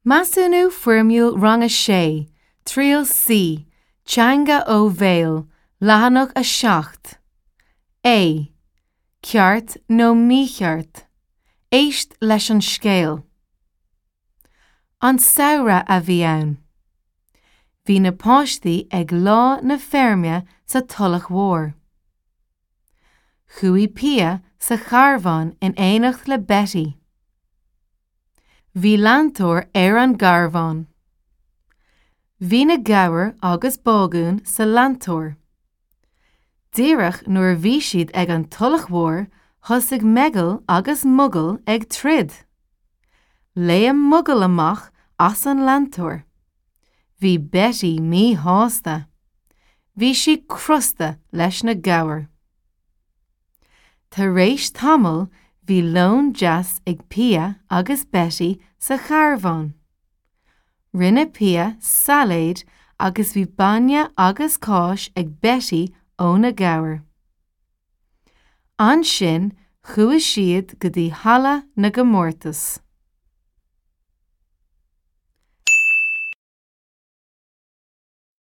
Measúnú Foirmiúil Rang 6, Triail C, Teanga ó Bhéal, Leathanach 7. A. Ceart nó mícheart? Éist leis an scéal. An samhradh a bhí ann. Bhí na páistí ag Lá na Feirme sa Tulach Mhór. Chuaigh Pia sa charbhán in éineacht le Betty. Bhí leantóir ar an gcarbhán. Bhí na gabhair agus Bágún sa leantóir. Díreach nuair a bhí siad ag an Tulach Mhór thosaigh Meigeall agus Mogall ag troid. Léim Mogall amach as an leantóir. Bhí Betty míshásta. Bhí sí crosta leis na gabhair. Tar éis tamaill bhí lón deas ag Pia agus Betty sa charbhán. Rinne Pia sailéad agus bhí bainne agus cáis ag Betty ó na gabhair. Ansin chuaigh siad go dtí halla na gcomórtas.